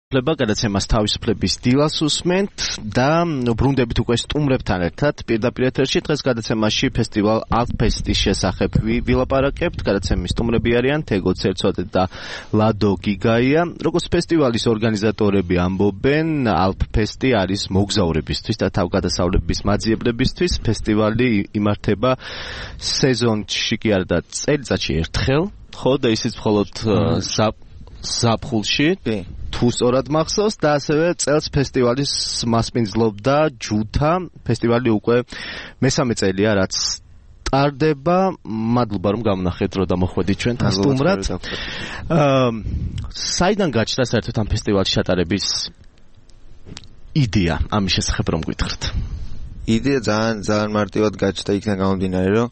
გადაცემას თავისუფლების დილას უსმენთ და ბრუნდებით უკვე სტუმრებთან ერთად პირდაპირ ეთერში დღეს გადაცემაში ფესტივალ ალფესტის შესახებ ვილაპარაკებთ. გადაცემის სტუმრები არიან თეგო ცერცვაძე და ლადო გიგაია. როგორც ფესტივალის ორგანიზატორები ამბობენ, ალფესტი არის მოგზაურებისთვის და თავგადასავლების მაძიებლებისთვის. ფესტივალი იმართება სეზონში კი არა და წელიწადში ერთხელ, ხო და ისიც მხოლოდ ზაფხულში თუ სწორად მახსოვს და ასევე წელს ფესტივალის მასპინძლობდა ჯუთა. ფესტივალი უკვე მესამე წელია რაც ტარდება. მადლობა რომ გამონახეთ რომ დამოხვედით ჩვენთან სტუმრად. საიდან გაჩნდა საერთოდ ამ ფესტივალში ჩატარების იდეა? ამის შესახებ რომ გითხრათ. იდეა ძალიან მარტივად გაჩნდა იქიდან გამომდინარე რომ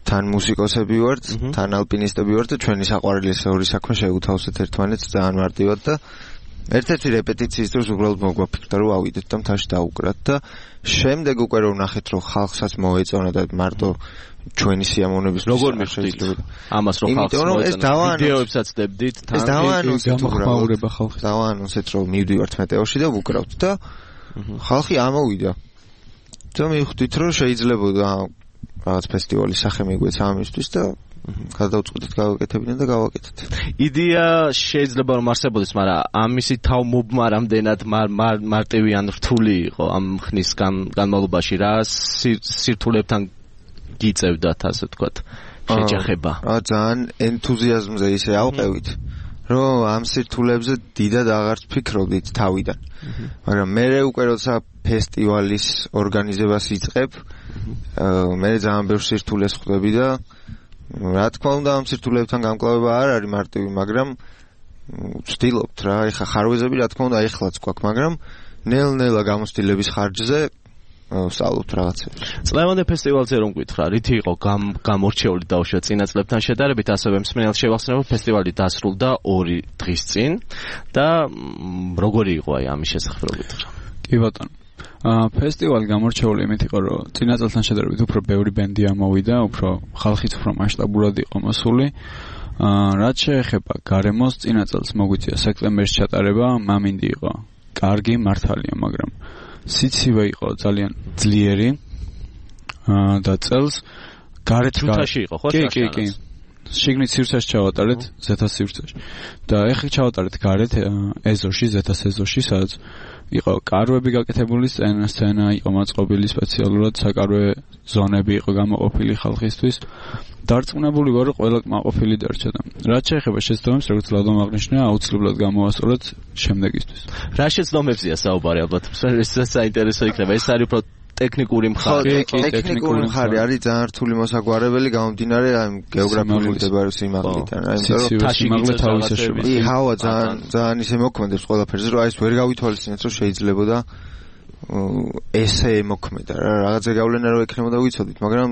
თან მუსიკოსები ვართ, თან ალპინისტები ვართ და ჩვენი საყვარელი ორი საქმე შევუთავსეთ ერთმანეთს ძალიან მარტივად და ერთ-ერთი რეპეტიციის დროს უბრალოდ მოგვაფიქრდა რომ ავიდეთ და მთაში დავუკრათ და შემდეგ უკვე რომ ნახეთ რომ ხალხსაც მოეწონა და მარტო ჩვენი სიამოვნების როგორ მიხვდით ამას რომ ხალხს მოეწონა ვიდეოებსაც დებდით თან ეს დავაანონსეთ ხალხს დავაანონსეთ რომ მივდივართ მეტეორში და ვუკრავთ და ხალხი ამოვიდა და მივხვდით რომ შეიძლებოდა რაღაც ფესტივალის სახე მიგვეცა ამისთვის და გადავწყვიტეთ გავაკეთებინე და გავაკეთეთ. იდეა შეიძლება რომ არსებობდეს, მაგრამ ამისი თავმობმა რამდენად მარტივი ან რთული იყო ამ ხნის განმავლობაში რა სირთულებთან გიწევდათ ასე ვთქვათ შეჯახება. ძალიან ენთუზიაზმზე ისე ავყევით რომ ამ სირთულებზე დიდად აღარც ფიქრობდით თავიდან. მაგრამ მე უკვე როცა ფესტივალის ორგანიზებას იწყებ მე ძალიან ბევრ სირთულეს ხვდები და რა თქმა უნდა ამ სირთულებთან გამკლავება არ არის მარტივი, მაგრამ ვცდილობთ რა, ეხა ხარვეზები რა თქმა უნდა ეხლაც გვაქვს, მაგრამ ნელ-ნელა გამოცდილების ხარჯზე ვსწავლობთ რაღაცებს. წლევანდელ ფესტივალზე რომ გითხრა, რითი იყო გამორჩეული დაუშვათ წინა წლებთან შედარებით, ასევე მსმენელს შევახსენებ, რომ ფესტივალი დასრულდა 2 დღის წინ და როგორი იყო აი ამის შესახებ რო გითხრა. კი ბატონო. ფესტივალი გამორჩეული იმით იყო, რომ წინა წელთან შედარებით უფრო ბევრი ბენდი ამოვიდა, უფრო ხალხიც უფრო მასშტაბურად იყო მოსული. რაც შეეხება გარემოს, წინა წელს მოგვიწია სექტემბერში ჩატარება, მამინდი იყო კარგი, მართალია, მაგრამ სიცივე იყო ძალიან ძლიერი და წელს გარეთ ჯუთაში იყო, ხო? კი. შიგნით სივრცეში ჩავატარეთ, ზეთას სივრცეში. და ეხლა ჩავატარეთ გარეთ ეზოში, ზეთას ეზოში, სადაც იყო კარვები გაკეთებული სცენა იყო მაწყობილი სპეციალურად საკარვე ზონები იყო გამოყოფილი ხალხისთვის. დარწმუნებული ვარ რომ ყველა კმაყოფილი დარჩა და რაც შეეხება შეცდომებს, როგორც ლადომ აღნიშნა, აუცილებლად გამოვასწოროთ შემდეგისთვის. რა შეცდომებზია საუბარი ალბათ? ეს საინტერესო იქნება. ეს არის უფრო ტექნიკური მხარე. ტექნიკური მხარე არის ძალიან რთული მოსაგვარებელი გამომდინარე ამ გეოგრაფიული მდებარეობის სიმაღლიდან. სიმაღლე თავისაშობა. ჰავა ძალიან ისე მოქმედებს ყველაფერზე, რომ ეს ვერ გავითვალისწინეთ, რომ შეიძლებოდა ესე მოქმედა რა. რაღაცა გავლენა რო ექნებოდა ვიცოდით, მაგრამ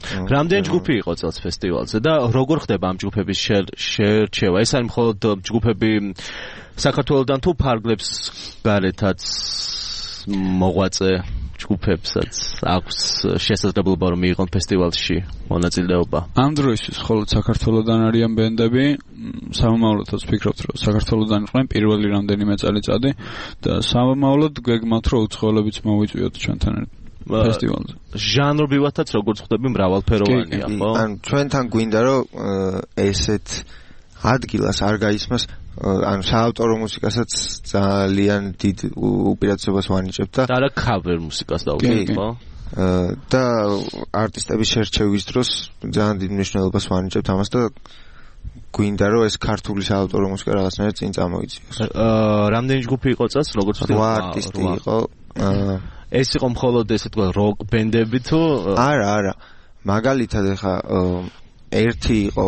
რამდენი ჯგუფი იყო წელს ფესტივალზე და როგორ ხდება ამ ჯგუფების შერჩევა? ეს არის მხოლოდ ჯგუფები საქართველოსდან თუ ფარგლებს გარეთაც მოღვაწე ჯგუფებსაც აქვს შესაძლებლობა რომ მიიღონ ფესტივალში მონაწილეობა? ამ დროისთვის მხოლოდ საქართველოსდან არიან ბენდები. სამომავლოდაც ვფიქრობთ რომ საქართველოსდან იყვნენ პირველი რამდენიმე წელიწადი და სამომავლოდ გვეგმავთ რომ უცხოელებიც მოვიწვიოთ ჩვენთან ფესტივალზე. ჟანრობრივადაც როგორც ხვდები მრავალფეროვანია, ხო? ან ჩვენთან გვინდა რომ ესეთ ადგილას არ გაისმას ან საავტორო მუსიკასაც ძალიან დიდ უპირატესობას ვანიჭებთ და არა cover მუსიკას დავუკვირდით, ხო? და არტისტების შერჩევის დროს ძალიან დიდ მნიშვნელობას ვანიჭებთ ამას და გვინდა რომ ეს ქართული საავტორო მუსიკა რაღაცნაირად წინ წამოიწიოს. რამდენი ჯგუფი იყო წელს, როგორც ვთქვი? 8 არტისტი იყო. ეს იყო მხოლოდ ესე თქვა როკ ბენდები თუ არა. მაგალითად ეხა ერთი იყო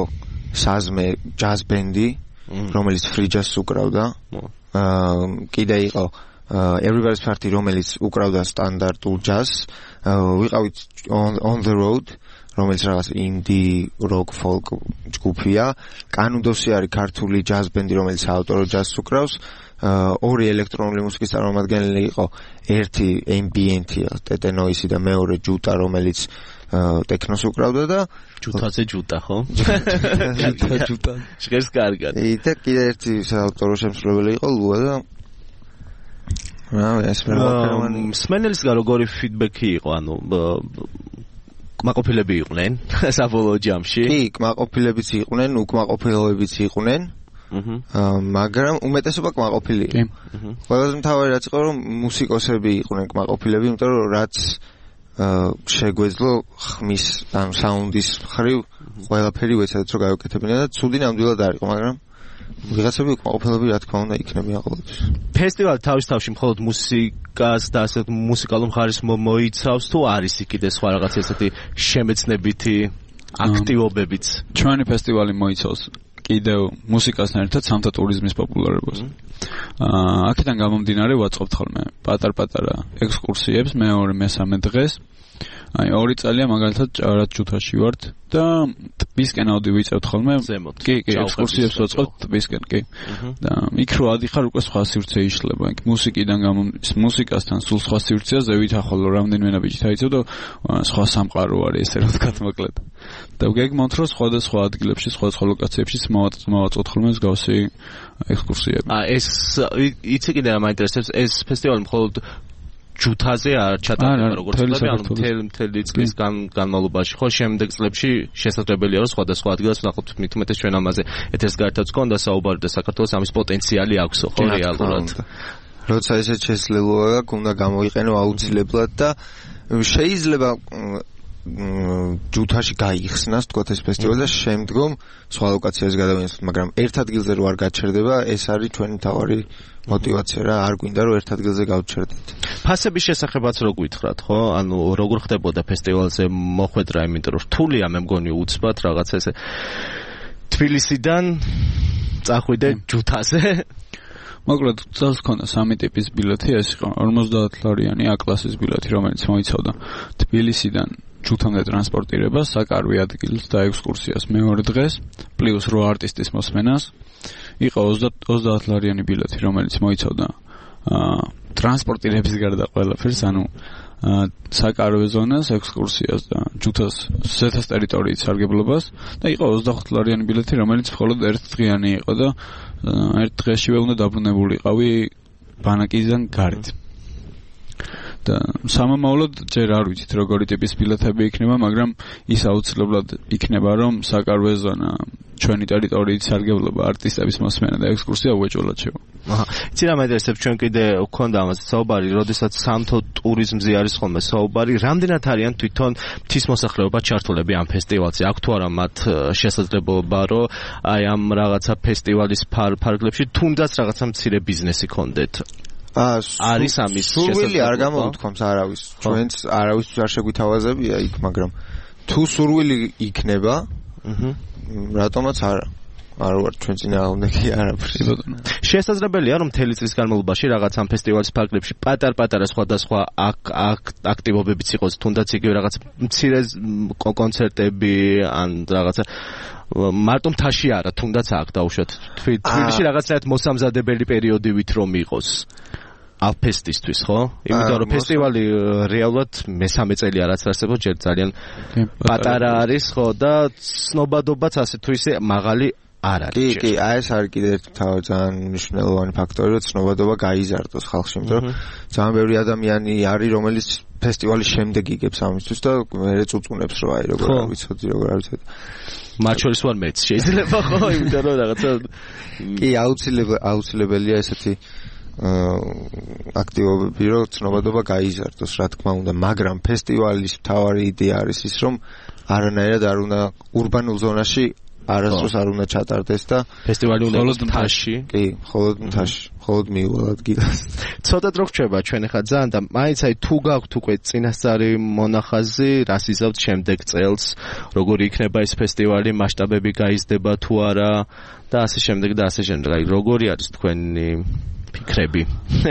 საზმე ჯაზ ბენდი, რომელიც free jazz უკრავდა. კიდე იყო Everybody's Party, რომელიც უკრავდა სტანდარტულ ჯაზს. ვიყავით on the road, რომელიც რაღაც indie rock folk ჯგუფია. კანუდოსი არის ქართული ჯაზ ბენდი, რომელიც საავტორო ჯაზს უკრავს. 2 ელექტრონული მუსიკის წარმომადგენელი იყო, ერთი ambient-ი, ტეტენოისი და მეორე ჯუტა, რომელიც ტექნოს უკრავდა და ჯუთაზე ჯუტა ხო? ჯუტა. შეგეს კარგად. და კიდე ერთი საავტორო შემსრულებელი იყო ლუა და ეს მსმენელისგან როგორი ფიდბექი იყო, ანუ კმაყოფილები იყვნენ საბოლოო ჯამში? კი, კმაყოფილებიც იყვნენ, უკმაყოფილოებიც იყვნენ. მაგრამ უმეტესობა კმაყოფილი. კი. ყველაზე მთავარი რაც იყო, რომ მუსიკოსები იყვნენ კმაყოფილები, იმიტომ რომ რაც შეგვეძლო ხმის ან საუნდის მხრივ ყველაფერი ვეცადეთ რომ გავაკეთებინა და ცუდი ნამდვილად არ იყო, მაგრამ ვიღაცები კმაყოფილები რა თქმა უნდა იქნებიან ყოველთვის. ფესტივალი თავის თავში მხოლოდ მუსიკას და ასე მუსიკალურ მხარეს მოიცავს თუ არის იქ სხვა რაღაც ესეთი შემეცნებითი აქტივობებიც? ჩვენი ფესტივალი მოიცავს კიდევ მუსიკასთან ერთად სამთა ტურიზმის პოპულარობას. აქედან გამომდინარე ვაწყობთ ხოლმე პატარ-პატარა ექსკურსიებს მეორე-მესამე დღეს. აი 2 წელია მაგალითად ჭარად ჯუთაში ვართ და ტბისკენ ავდივიწევთ ხოლმე. კი, ექსკურსიებს ვაწყობთ ტბისკენ, კი. და იქ რო ადიხარ უკვე სხვა სივრცე იშლება. იქ მუსიკასთან სულ სხვა სივრცეა ზევით ახალ რამდენიმე ნაბიჯით აიწევ და სხვა სამყარო არის ესე რა ვთქვათ მოკლედ. და გეგმავთ რომ სხვადასხვა ადგილებში, სხვადასხვა ლოკაციებში მოვაწყოთ ხოლმე მსგავსი ექსკურსიები. ეს იცი კიდე რა მაინტერესებს, ეს ფესტივალი მხოლოდ ჯუთაზე არ ჩატარდება როგორც ვთქვი, ანუ მთელი წლის განმავლობაში ხო შემდეგ წლებში შესაძლებელია რომ სხვადასხვა ადგილას ვნახოთ მით უმეტეს ჩვენ ამაზე ეთერს გართაც გქონდა საუბარი და საქართველოს ამის პოტენციალი აქვს ხო რეალურად. როცა ესეც შესაძლებელია უნდა გამოიყენო აუცილებლად და შეიძლება ჯუთაში გაიხსნას თქო ეს ფესტივალი და შემდგომ სხვა ლოკაციაზე გადავინახოთ, მაგრამ ერთ ადგილზე რო არ გაჩერდება, ეს არის ჩვენი თავარი мотивация რა, არ გვინდა რომ ერთ ადგილზე გავჩერდეთ. ფასების შესახებაც რო გითხრათ, ხო? ანუ როგორ ხდებოდა ფესტივალზე მოხვედრა, იმიტომ რომ რთულია მე მგონი უცბად რაღაცა ესე თბილისიდან წახვიდე ჯუთაზე. მოკლედ წელს ქონდა 3 ტიპის ბილეთი, ეს იყო 50 ლარიანი A-კლასის ბილეთი, რომელიც მოიცავდა თბილისიდან ჯუთამდე ტრანსპორტირებას, საკარვე ადგილს და ექსკურსიას მეორე დღეს, პლუს 8 არტისტის მოსმენას. იყო 30 ლარიანი ბილეთი, რომელიც მოიცავდა ტრანსპორტირების გარდა ყველაფერს, ანუ საკარვე ზონას, ექსკურსიას და ჯუთას ზეთას ტერიტორიის სარგებლობას და იყო 25 ლარიანი ბილეთი, რომელიც მხოლოდ ერთ დღიანი იყო და ერთ დღეშივე უნდა დაბრუნებულიყავი ბანაკიდან გარეთ. და სამომავლოდ ჯერ არ ვიცით როგორი ტიპის ბილეთები იქნება, მაგრამ ის აუცილებლად იქნება, რომ საკარვე ზონა, ჩვენი ტერიტორიის სარგებლობა, არტისტების მოსმენა და ექსკურსია უეჭველად შევა. იცი რა მაინტერესებს, ჩვენ კიდე გვქონდა ამაზე საუბარი, როდესაც სამთო ტურიზმზე არის ხოლმე საუბარი, რამდენად არიან თვითონ მთის მოსახლეობა ჩართულები ამ ფესტივალზე? აქვს თუ არა მათ შესაძლებლობა, რომ აი ამ რაღაცა ფესტივალის ფარგლებში თუნდაც რაღაცა მცირე ბიზნესი ქონდეთ? არის ამის სურვილი არ გამოვთქვამს არავის. ჩვენც არავისთვის არ შეგვითავაზებია იქ, მაგრამ თუ სურვილი იქნება, რატომაც არა. არ ვარ ჩვენ წინააღმდეგი არაფრის. შესაძლებელია რომ მთელი წლის განმავლობაში რაღაც ამ ფესტივალის ფარგლებში პატარ-პატარა სხვადასხვა აქტივობებიც იყოს, თუნდაც იგივე რაღაც მცირე კონცერტები ან რაღაცა მარტო მთაში არა, თუნდაც აქ დაუშვათ. თბილისში რაღაცნაირად მოსამზადებელი პერიოდივით რომ იყოს. აფესტისთვის, ხო? იმიტომ რომ ფესტივალი რეალურად მესამე წელი არაც არსებობს, ჯერ ძალიან პატარა არის, ხო და ცნობადობაც ასე თუ ისე მაღალი არ არის. კი, აი ეს არის კიდევ ერთი ძალიან მნიშვნელოვანი ფაქტორი, რომ ცნობადობა გაიზარდოს ხალხში, იმიტომ რომ ძალიან ბევრი ადამიანი არის, რომელიც ფესტივალის შემდეგ იგებს ამისთვის და მე წუწუნებს რომ აი როგორ ვიცოდი, როგორ არ ვიცოდი. მათ შორის ვარ მეც, შეიძლება ხო, იმიტომ რომ რაღაცა კი აუცილებელია ესეთი აქტივობები, რომ ცნობადობა გაიზარდოს, რა თქმა უნდა, მაგრამ ფესტივალის მთავარი იდეა არის ის, რომ არანაირად არ უნდა урბანულ ზონაში არასდროს არ უნდა ჩატარდეს და ფესტივალი უნდა იყოს მთაში. კი, მხოლოდ მთაში, მხოლოდ მიუვალ ადგილას. ცოტა დრო რჩება ჩვენ ახლა ძალიან და მაინც აი თუ გაქვთ უკვე წინასწარი მონახაზი, რას იზავთ შემდეგ წელს, როგორი იქნება ეს ფესტივალი, მასშტაბები გაიზრდება თუ არა და ასე შემდეგ და ასე შემდეგ. აი როგორი არის თქვენი ფიქრები?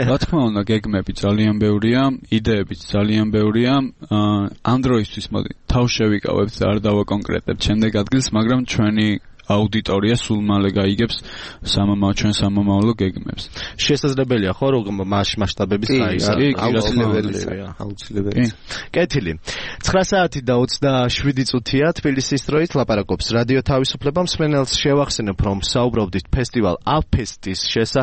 რა თქმა უნდა, გეგმები ძალიან ბევრია, იდეებიც ძალიან ბევრია. ამ დროისთვის მოდი თავშევიკავებთ და არ დავაკონკრეტებთ შემდეგ ადგილს, მაგრამ ჩვენი აუდიტორია სულ მალე გაიგებს ჩვენ სამომავლო გეგმებს. შესაძლებელია ხო რომ მასშტაბების აუცილებელია. კეთილი. 9 საათი და 27 წუთია თბილისის დროით ლაპარაკობს რადიო თავისუფლება. მსმენელს შევახსენებ რომ საუბრობდით ფესტივალ აფესტის შესახებ.